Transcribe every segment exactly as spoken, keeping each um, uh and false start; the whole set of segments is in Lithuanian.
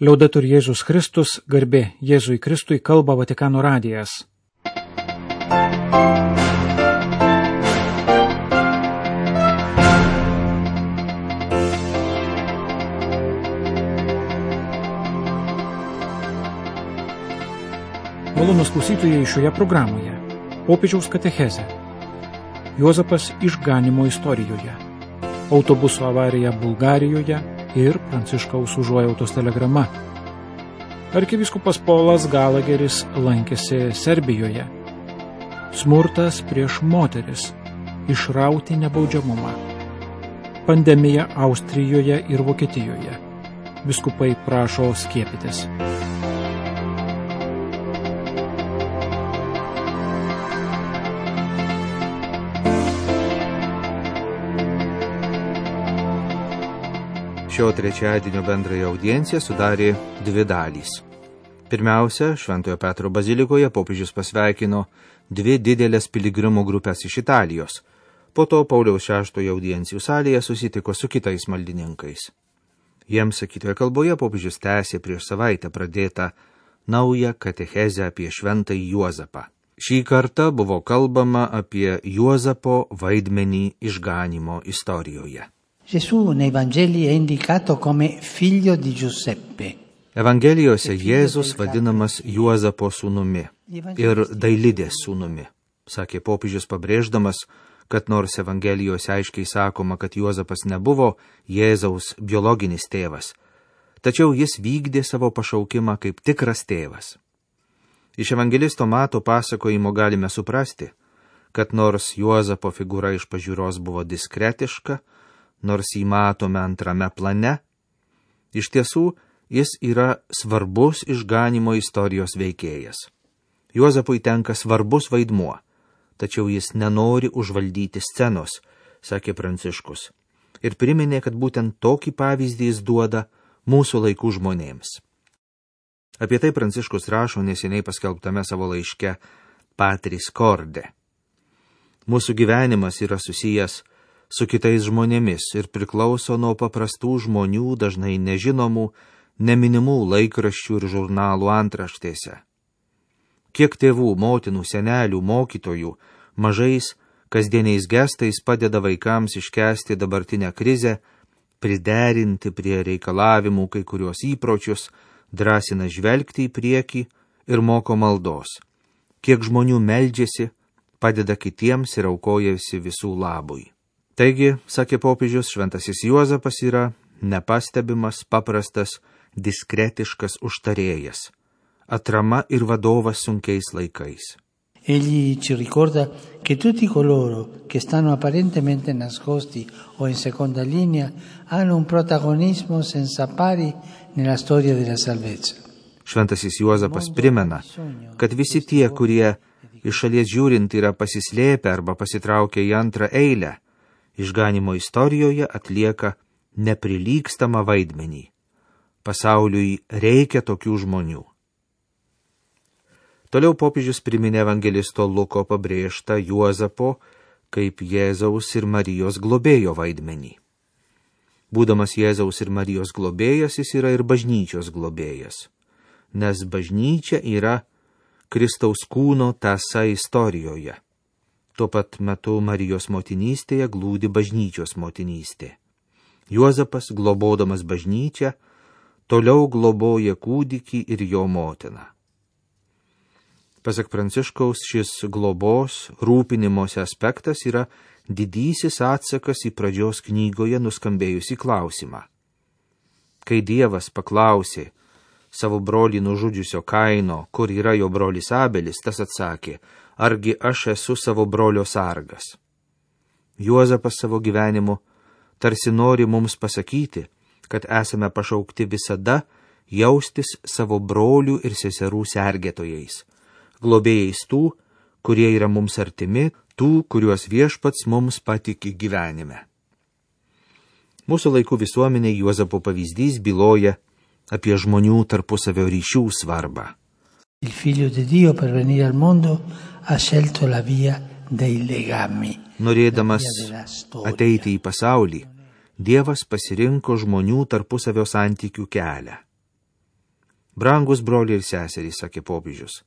Liaudetur Jėzus Kristus, garbė Jėzui Kristui, kalba Vatikano radijas. Malonūs klausytojai šioje programoje. Popiežiaus katechezė. Juozapas išganymo istorijoje. Autobuso avarija Bulgarijoje ir Pranciškaus užuojautos telegrama. Arkivyskupas Polas Galageris lankėsi Serbijoje. Smurtas prieš moteris. Išrauti nebaudžiamumą. Pandemija Austrijoje ir Vokietijoje. Vyskupai prašo skiepytis. Šio trečiadienio bendrąją audienciją sudarė dvi dalys. Pirmiausia, Šventojo Petro bazilikoje popiežius pasveikino dvi didelės piligrimų grupės iš Italijos. Po to Pauliaus šeštojo audiencijų salėje susitiko su kitais maldininkais. Jiems sakytoje kalboje popiežius tęsė prieš savaitę pradėtą naują katechezę apie šventąjį Juozapą. Šį kartą buvo kalbama apie Juozapo vaidmenį išganymo istorijoje. Gesù nei Vangeli è indicato come figlio di Giuseppe. Evangelijose Jėzus vadinamas Juozapo sūnumi ir Dailidės sūnumi, sakė popiežius pabrėždamas, kad nors Evangelijose aiškiai sakoma, kad Juozapas nebuvo Jėzaus biologinis tėvas, tačiau jis vykdė savo pašaukimą kaip tikras tėvas. Iš evangelisto Mato pasakojimo galime suprasti, kad nors Juozapo figūra iš pažiūros buvo diskretiška, nors jį matome antrame plane, iš tiesų jis yra svarbus išganymo istorijos veikėjas. Juozapui tenka svarbus vaidmuo, tačiau jis nenori užvaldyti scenos, sakė Pranciškus, ir priminė, kad būtent tokį pavyzdį jis duoda mūsų laikų žmonėms. Apie tai Pranciškus rašo neseniai paskelbtame savo laiške Patris Corde. Mūsų gyvenimas yra susijęs su kitais žmonėmis ir priklauso nuo paprastų žmonių, dažnai nežinomų, neminimų laikraščių ir žurnalų antraštėse. Kiek tėvų, motinų, senelių, mokytojų, mažais, kasdieniais gestais padeda vaikams iškęsti dabartinę krizę, priderinti prie reikalavimų kai kurios įpročius, drąsina žvelgti į priekį ir moko maldos. Kiek žmonių meldžiasi, padeda kitiems ir aukojasi visų labui. Taigi, sakė popiežius, šventasis Juozapas yra nepastebimas, paprastas, diskretiškas užtarėjas, atrama ir vadovas sunkiais laikais. Egli ci ricorda che tutti coloro che stanno apparentemente nascosti o in seconda linea hanno un protagonismo senza pari nella storia della salvezza. Šventasis Juozapas primena, kad visi tie, kurie iš šalies žiūrint yra pasislėpę arba pasitraukę į antrą eilę, išganymo istorijoje atlieka neprilygstamą vaidmenį. Pasauliui reikia tokių žmonių. Toliau popiežius priminė evangelisto Luko pabrėžtą Juozapo kaip Jėzaus ir Marijos globėjo vaidmenį. Būdamas Jėzaus ir Marijos globėjas, jis yra ir bažnyčios globėjas, nes bažnyčia yra Kristaus kūno tąsa istorijoje. Tuo pat metu Marijos motinystėje glūdi bažnyčios motinystė. Juozapas, globodamas bažnyčią, toliau globoja kūdikį ir jo motiną. Pasak Pranciškaus, šis globos, rūpinimosi aspektas yra didysis atsakas į pradžios knygoje nuskambėjusį klausimą. Kai Dievas paklausė savo brolį nužudžiusio Kaino, kur yra jo brolis Abelis, tas atsakė, argi aš esu savo brolio sargas. Juozapas savo gyvenimu tarsi nori mums pasakyti, kad esame pašaukti visada jaustis savo brolių ir seserų sergėtojais, globėjais tų, kurie yra mums artimi, tų, kuriuos Viešpats mums patiki gyvenime. Mūsų laikų visuomenė Juozapo pavyzdys byloja apie žmonių tarpusavio ryšių svarbą. Il figlio di Dio per venire al mondo ha scelto la via dei legami. Norėdamas ateiti į pasaulį, Dievas pasirinko žmonių tarpusavio santykių kelią. Brangus broliai ir seserys, sakė popiežius,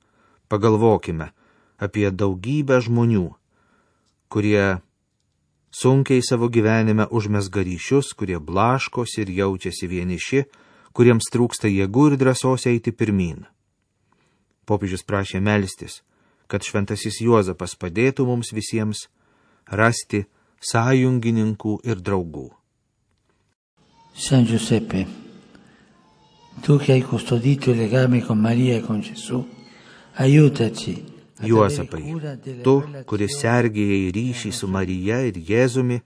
pagalvokime apie daugybę žmonių, kurie sunkiai savo gyvenime užmesga ryšius, kurie blaškosi ir jaučiasi vieniši, kuriems trūksta jėgų ir drąsos eiti pirmyn. Popiežius prašė melstis, kad šventasis Juozapas padėtų mums visiems rasti sąjungininkų ir draugų. San Giuseppe, tu che hai custodito il legame con Maria e con Gesù, aiutaci. Juozapai, tu, kuris sergėjai ryšį su Marija ir Jėzumi,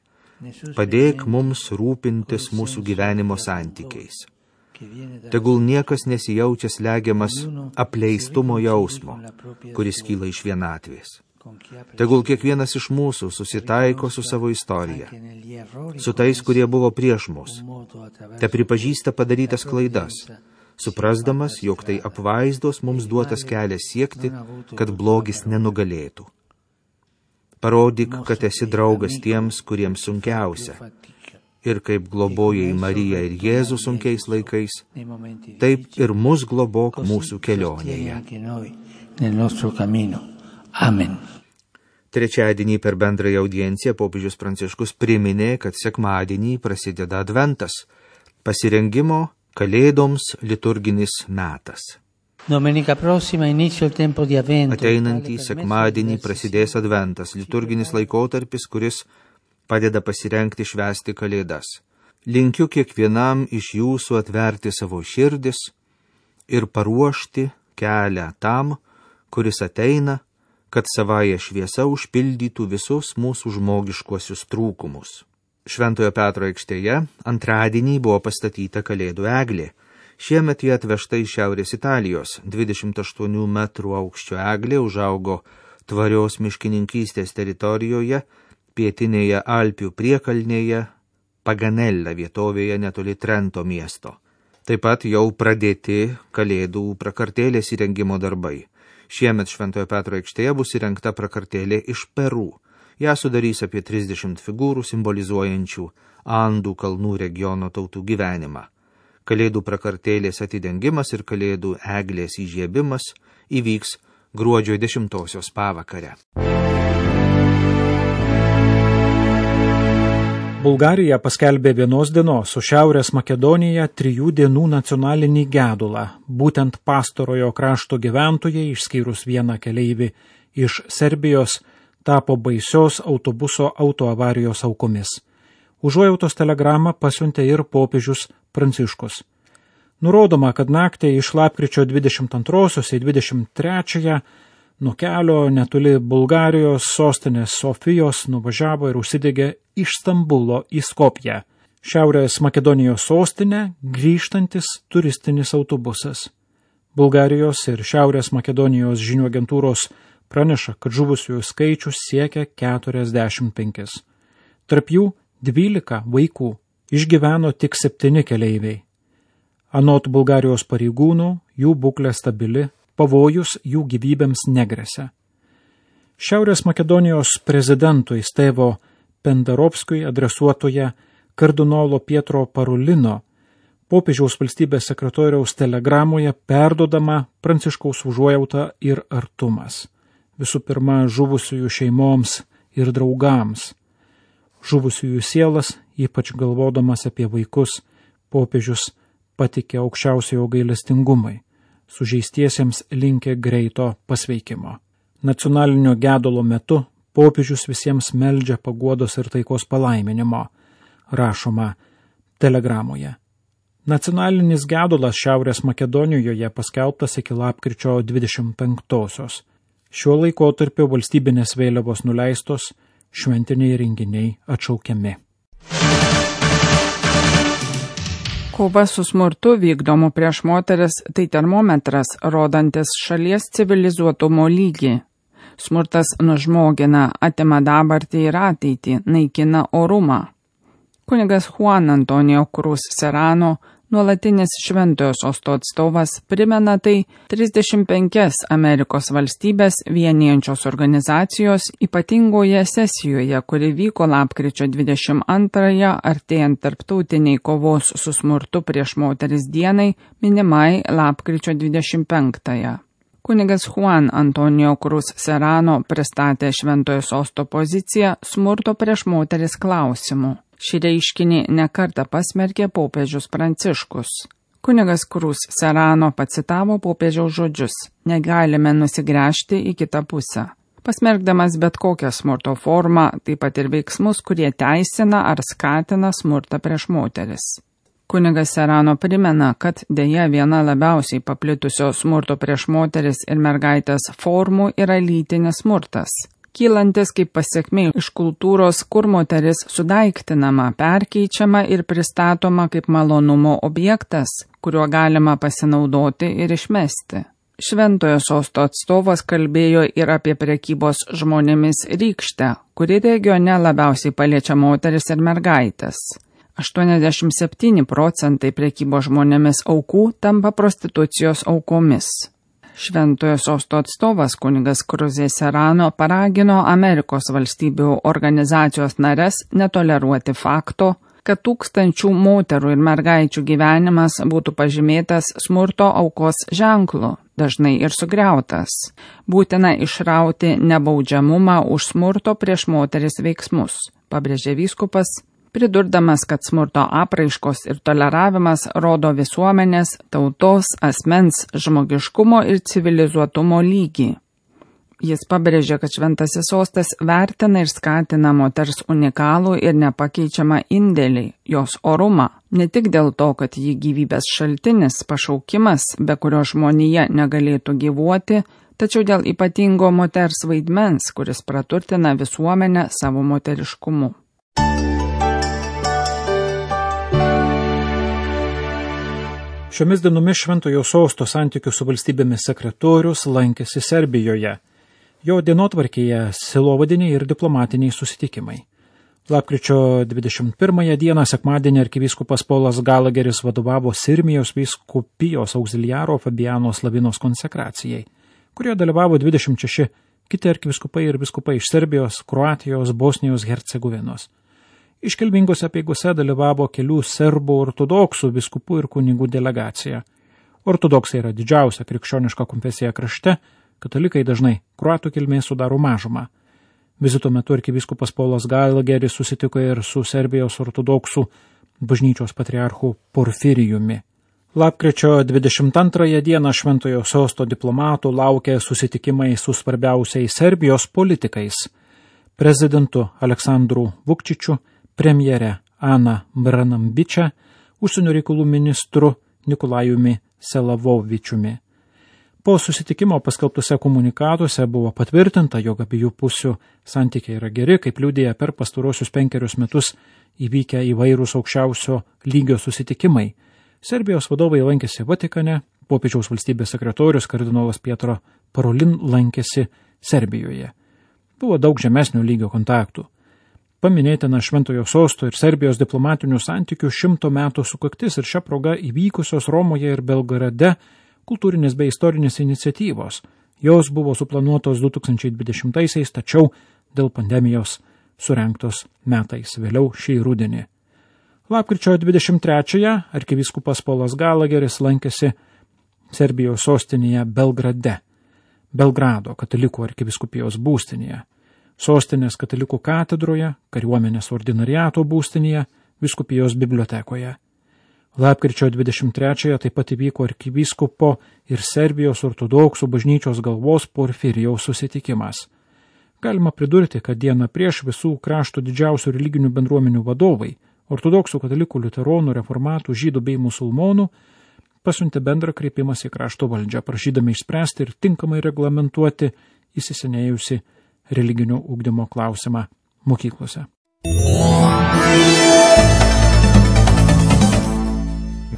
padėk mums rūpintis mūsų gyvenimo santykiais. Tegul niekas nesijaučia slegiamas apleistumo jausmo, kuris kyla iš vienatvės. Tegul kiekvienas iš mūsų susitaiko su savo istorija, su tais, kurie buvo prieš mus, te pripažįsta padarytas klaidas, suprasdamas, jog tai apvaizdos mums duotas kelias siekti, kad blogis nenugalėtų. Parodyk, kad esi draugas tiems, kuriems sunkiausia. Ir kaip globojai Mariją ir Jėzų sunkiais laikais, taip ir mus globok mūsų kelionėje. Amen. Trečiadienį per bendrąją audienciją popiežius Pranciškus priminė, kad sekmadienį prasideda Adventas, pasirengimo Kalėdoms liturginis metas. Ateinantį sekmadienį prasidės Adventas, liturginis laikotarpis, kuris padeda pasirengti švęsti Kalėdas. Linkiu kiekvienam iš jūsų atverti savo širdis ir paruošti kelią tam, kuris ateina, kad savąją šviesą užpildytų visus mūsų žmogiškuosius trūkumus. Šventojo Petro aikštėje antradienį buvo pastatyta Kalėdų eglė. Šiemet jie atvežta iš Šiaurės Italijos. dvidešimt aštuonių metrų aukščio eglė užaugo tvarios miškininkystės teritorijoje, pietinėje Alpių priekalnėje, Paganella vietovėje netoli Trento miesto. Taip pat jau pradėti Kalėdų prakartėlės įrengimo darbai. Šiemet Šventojo Petro aikštėje bus įrengta prakartėlė iš Peru. Ja sudarys apie trisdešimt figūrų simbolizuojančių Andų kalnų regiono tautų gyvenimą. Kalėdų prakartėlės atidengimas ir Kalėdų eglės įžiebimas įvyks gruodžio dešimtosios pavakare. Bulgarija paskelbė vienos dienos su Šiaurės Makedonija trijų dienų nacionalinį gedulą. Būtent pastarojo krašto gyventojai, išskyrus vieną keleivį iš Serbijos, tapo baisios autobuso autoavarijos aukomis. Užuojautos telegramą pasiuntė ir popiežius Pranciškus. Nurodoma, kad naktį iš lapkričio dvidešimt antrosios į dvidešimt trečiąją nuo kelio netoli Bulgarijos sostinės Sofijos nuvažiavo ir užsidegė iš Stambulo į Skopję, Šiaurės Makedonijos sostinę, grįžtantis turistinis autobusas. Bulgarijos ir Šiaurės Makedonijos žinių agentūros praneša, kad žuvusiųjų skaičius siekia keturiasdešimt penkis. Tarp jų dvylika vaikų, išgyveno tik septyni keleiviai. Anot Bulgarijos pareigūnų, jų būklė stabili, pavojus jų gyvybėms negresia. Šiaurės Makedonijos prezidentui Stevo Pendarovskui adresuotoje kardinolo Pietro Parolino popiežiaus valstybės sekretoriaus telegramoje perdodama Pranciškaus užuojauta ir artumas. Visų pirma, žuvusiųjų šeimoms ir draugams. Žuvusiųjų sielas, ypač galvodamas apie vaikus, popiežius patikė aukščiausiojo gailestingumui. Sužeistiesiems linkė greito pasveikimo. Nacionalinio gedulo metu popiežius visiems meldžia paguodos ir taikos palaiminimo, rašoma telegramoje. Nacionalinis gedulas Šiaurės Makedonijoje paskelbtas iki lapkričio dvidešimt penktosios. Šiuo laikotarpiu valstybinės vėliavos nuleistos, šventiniai renginiai atšaukiami. Kova su smurtu vykdomu prieš moteris tai termometras, rodantis šalies civilizuotumo lygį. Smurtas nužmogina, atima dabartį ir ateitį, naikina orumą. Kunigas Juan Antonio Cruz Serrano Nuolatinis Šventojo Sosto atstovas primena tai trisdešimt penkias Amerikos valstybės vienijančios organizacijos ypatingoje sesijoje, kuri vyko lapkričio dvidešimt antrąją, artėjant tarptautiniai kovos su smurtu prieš moteris dienai, minimai lapkričio dvidešimt penktąją. Kunigas Juan Antonio Cruz Serrano pristatė Šventojo Sosto poziciją smurto prieš moteris klausimu. Šį reiškinį nekartą pasmerkė popiežius Pranciškus. Kunigas Cruz Serrano pacitavo popiežiaus žodžius: negalime nusigręžti į kitą pusę. Pasmerkdamas bet kokią smurto formą, taip pat ir veiksmus, kurie teisina ar skatina smurtą prieš moteris. Kunigas Serrano primena, kad dėja viena labiausiai paplitusio smurto prieš moteris ir mergaitės formų yra lytinis smurtas, kylantis kaip pasiekmė iš kultūros, kur moteris sudaiktinama, perkeičiama ir pristatoma kaip malonumo objektas, kuriuo galima pasinaudoti ir išmesti. Šventojo Sosto atstovas kalbėjo ir apie prekybos žmonėmis rykštę, kuri regione labiausiai paliečia moteris ir mergaitės. aštuoniasdešimt septyni procentai prekybos žmonėmis aukų tampa prostitucijos aukomis. Šventojo Sosto atstovas kunigas Cruz Serrano paragino Amerikos valstybių organizacijos nares netoleruoti fakto, kad tūkstančių moterų ir mergaičių gyvenimas būtų pažymėtas smurto aukos ženklu, dažnai ir sugriautas. Būtina išrauti nebaudžiamumą už smurto prieš moteris veiksmus, pabrėžė vyskupas, pridurdamas, kad smurto apraiškos ir toleravimas rodo visuomenės, tautos, asmens, žmogiškumo ir civilizuotumo lygį. Jis pabrėžė, kad Šventasis Sostas vertina ir skatina moters unikalų ir nepakeičiamą indėlį, jos orumą, ne tik dėl to, kad ji gyvybės šaltinis, pašaukimas, be kurio žmonija negalėtų gyvuoti, tačiau dėl ypatingo moters vaidmens, kuris praturtina visuomenę savo moteriškumu. Šiomis dienomis Šventojo Sosto santykių su valstybėmis sekretorius lankėsi Serbijoje. Jo dienotvarkėje sielovadiniai ir diplomatiniai susitikimai. Lapkričio dvidešimt pirmąją dieną sekmadienį arkivyskupas Polas Galageris vadovavo Sirmijos vyskupijos auxiliaro Fabiano Slavinos konsekracijai, kurioje dalyvavo dvidešimt šeši kiti arkivyskupai ir vyskupai iš Serbijos, Kroatijos, Bosnijos, Hercegovinos. Iškilmingose apeigose dalyvavo kelių serbų ortodoksų vyskupų ir kunigų delegacija. Ortodoksai yra didžiausia krikščioniška konfesija krašte, katalikai dažnai kroatų kilmės sudaro mažumą. Vizito metu arkivyskupas Polas Galageris susitiko ir su Serbijos ortodoksų bažnyčios patriarchu Porfirijumi. Lapkričio dvidešimt antrąją dieną Šventojo Sosto diplomatų laukia susitikimai su svarbiausiais Serbijos politikais – prezidentu Aleksandru Vukčičiu, premjere Ana Branambičia, užsienio reikalų ministru Nikolajumi Selavovičiumi. Po susitikimo paskelbtose komunikatuose buvo patvirtinta, jog abiejų pusių santykiai yra geri, kaip liudija per pastarosius penkerius metus įvykę įvairūs aukščiausio lygio susitikimai. Serbijos vadovai lankėsi Vatikane, popiežiaus valstybės sekretorius kardinolas Pietro Parolin lankėsi Serbijoje. Buvo daug žemesnio lygio kontaktų. Paminėtina Šventojo Sosto ir Serbijos diplomatinių santykių šimto metų sukaktis ir šią progą įvykusios Romoje ir Belgrade kultūrinės bei istorinės iniciatyvos. Jos buvo suplanuotos du tūkstančiai dvidešimtaisiais, tačiau dėl pandemijos surengtos metais vėliau šį rudenį. Lapkričio dvidešimt trečiąją arkivyskupas Polas Galageris lankėsi Serbijos sostinėje Belgrade, Belgrado katalikų arkivyskupijos būstinėje, sostinės katalikų katedroje, kariuomenės ordinariato būstinėje, vyskupijos bibliotekoje. Lapkričio dvidešimt trečiąją taip pat įvyko arkivyskupo ir Serbijos ortodoksų bažnyčios galvos Porfirijaus susitikimas. Galima pridurti, kad dieną prieš visų krašto didžiausių religinių bendruomenių vadovai, ortodoksų, katalikų, liuteronų, reformatų, žydų bei musulmonų, pasiuntė bendrą kreipimąsi į krašto valdžią, prašydami išspręsti ir tinkamai reglamentuoti įsisenėjusi religinio ugdymo klausimą mokyklose.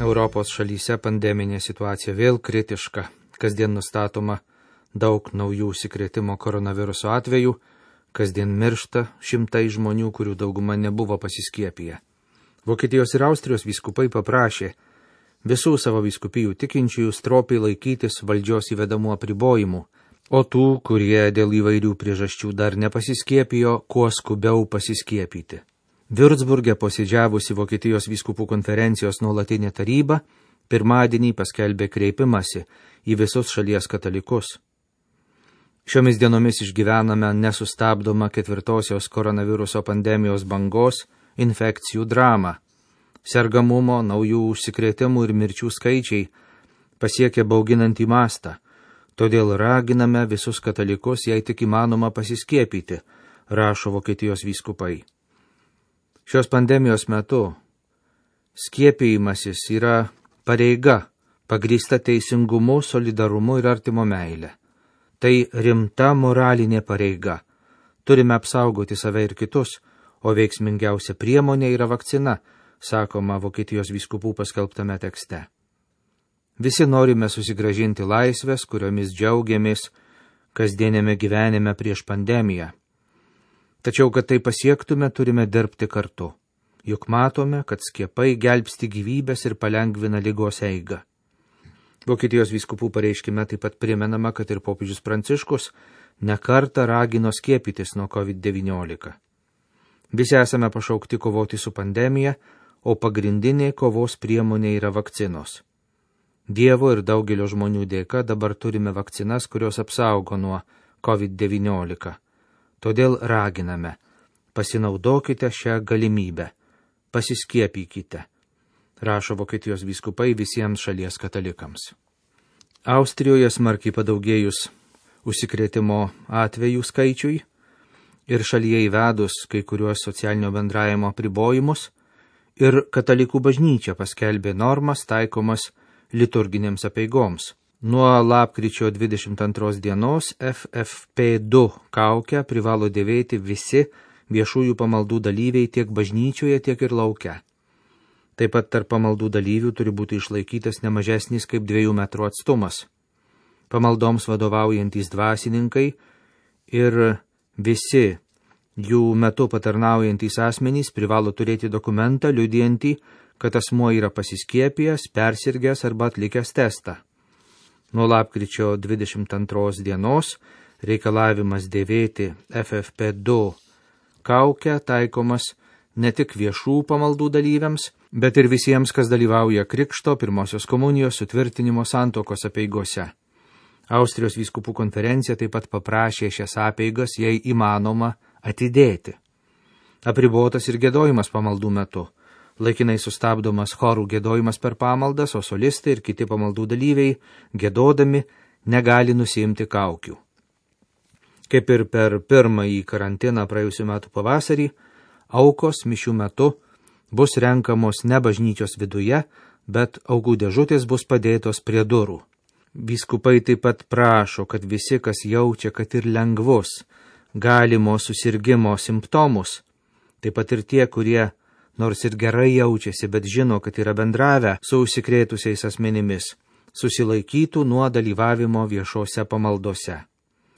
Europos šalyse pandeminė situacija vėl kritiška. Kasdien nustatoma daug naujų užsikrėtimo koronaviruso atvejų, kasdien miršta šimtai žmonių, kurių dauguma nebuvo pasiskiepiję. Vokietijos ir Austrijos vyskupai paprašė Visų savo vyskupijų tikinčiųjų stropiai laikytis valdžios įvedamų apribojimų, o tų, kurie dėl įvairių priežasčių dar nepasiskiepijo, kuo skubiau pasiskiepyti. Würzburge posėdžiavusi Vokietijos vyskupų konferencijos nuolatinė taryba pirmadienį paskelbė kreipimąsi į visus šalies katalikus. Šiomis dienomis išgyvename nesustabdomą ketvirtosios koronaviruso pandemijos bangos infekcijų dramą. Sergamumo, naujų užsikrėtimų ir mirčių skaičiai pasiekė bauginantį mastą, todėl raginame visus katalikus, jei tik įmanoma, pasiskiepyti, rašo Vokietijos vyskupai. Šios pandemijos metu skiepijimasis yra pareiga, pagrįsta teisingumu, solidarumu ir artimo meile. Tai rimta moralinė pareiga. Turime apsaugoti save ir kitus, o veiksmingiausia priemonė yra vakcina, sakoma Vokietijos vyskupų paskelbtame tekste. Visi norime susigrąžinti laisvės, kuriomis džiaugiamės kasdienėme gyvenime prieš pandemiją. Tačiau, kad tai pasiektume, turime dirbti kartu. Juk matome, kad skiepai gelbsti gyvybės ir palengvina ligos eigą. Vokietijos vyskupų pareiškime taip pat primenama, kad ir popiežius Pranciškus nekartą ragino skiepytis nuo kovid devyniolika. Visi esame pašaukti kovoti su pandemija, o pagrindinė kovos priemonė yra vakcinos. Dievo ir daugelio žmonių dėka dabar turime vakcinas, kurios apsaugo nuo kovid devyniolika. Todėl raginame, pasinaudokite šią galimybę, pasiskiepykite, rašo Vokietijos vyskupai visiems šalies katalikams. Austrijoje smarkiai padaugėjus užsikrėtimo atvejų skaičiui ir šalyje įvedus kai kuriuos socialinio bendravimo apribojimus, ir katalikų bažnyčia paskelbė normas taikomas liturginėms apeigoms. Nuo lapkričio dvidešimt antros dienos F F P du kaukę privalo dėvėti visi viešųjų pamaldų dalyviai tiek bažnyčioje, tiek ir lauke. Taip pat tarp pamaldų dalyvių turi būti išlaikytas nemažesnis kaip dviejų metrų atstumas. Pamaldoms vadovaujantys dvasininkai ir visi jų metu patarnaujantys asmenys privalo turėti dokumentą liudijantį, kad asmuo yra pasiskiepijęs, persirgęs arba atlikęs testą. Nuo lapkričio dvidešimt antros dienos reikalavimas dėvėti F F P du kaukę taikomas ne tik viešų pamaldų dalyviams, bet ir visiems, kas dalyvauja krikšto, pirmosios komunijos, sutvirtinimo santuokos apeigose. Austrijos vyskupų konferencija taip pat paprašė šias apeigas, jei įmanoma, atidėti. Apribotas ir giedojimas pamaldų metu. Laikinai sustabdomas chorų giedojimas per pamaldas, o solistai ir kiti pamaldų dalyviai, giedodami, negali nusiimti kaukių. Kaip ir per pirmąjį karantiną praėjusių metų pavasarį, aukos mišių metu bus renkamos ne bažnyčios viduje, bet aukų dėžutės bus padėtos prie durų. Vyskupai taip pat prašo, kad visi, kas jaučia, kad ir lengvus, galimo susirgimo simptomus, taip pat ir tie, kurie nors ir gerai jaučiasi, bet žino, kad yra bendravę su užsikrėtusiais asmenimis, susilaikytų nuo dalyvavimo viešose pamaldose.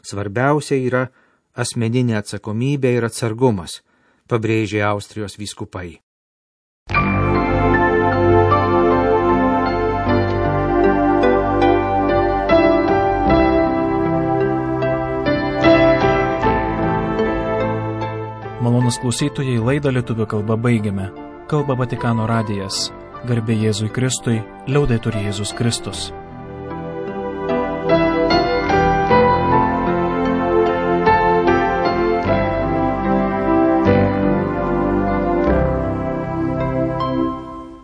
Svarbiausia yra asmeninė atsakomybė ir atsargumas, pabrėžė Austrijos vyskupai. Malonūs klausytojai, laidą lietuvių kalba baigiame. Kalba Vatikano radijas. Garbė Jėzui Kristui, liaudetur Jėzus Kristus.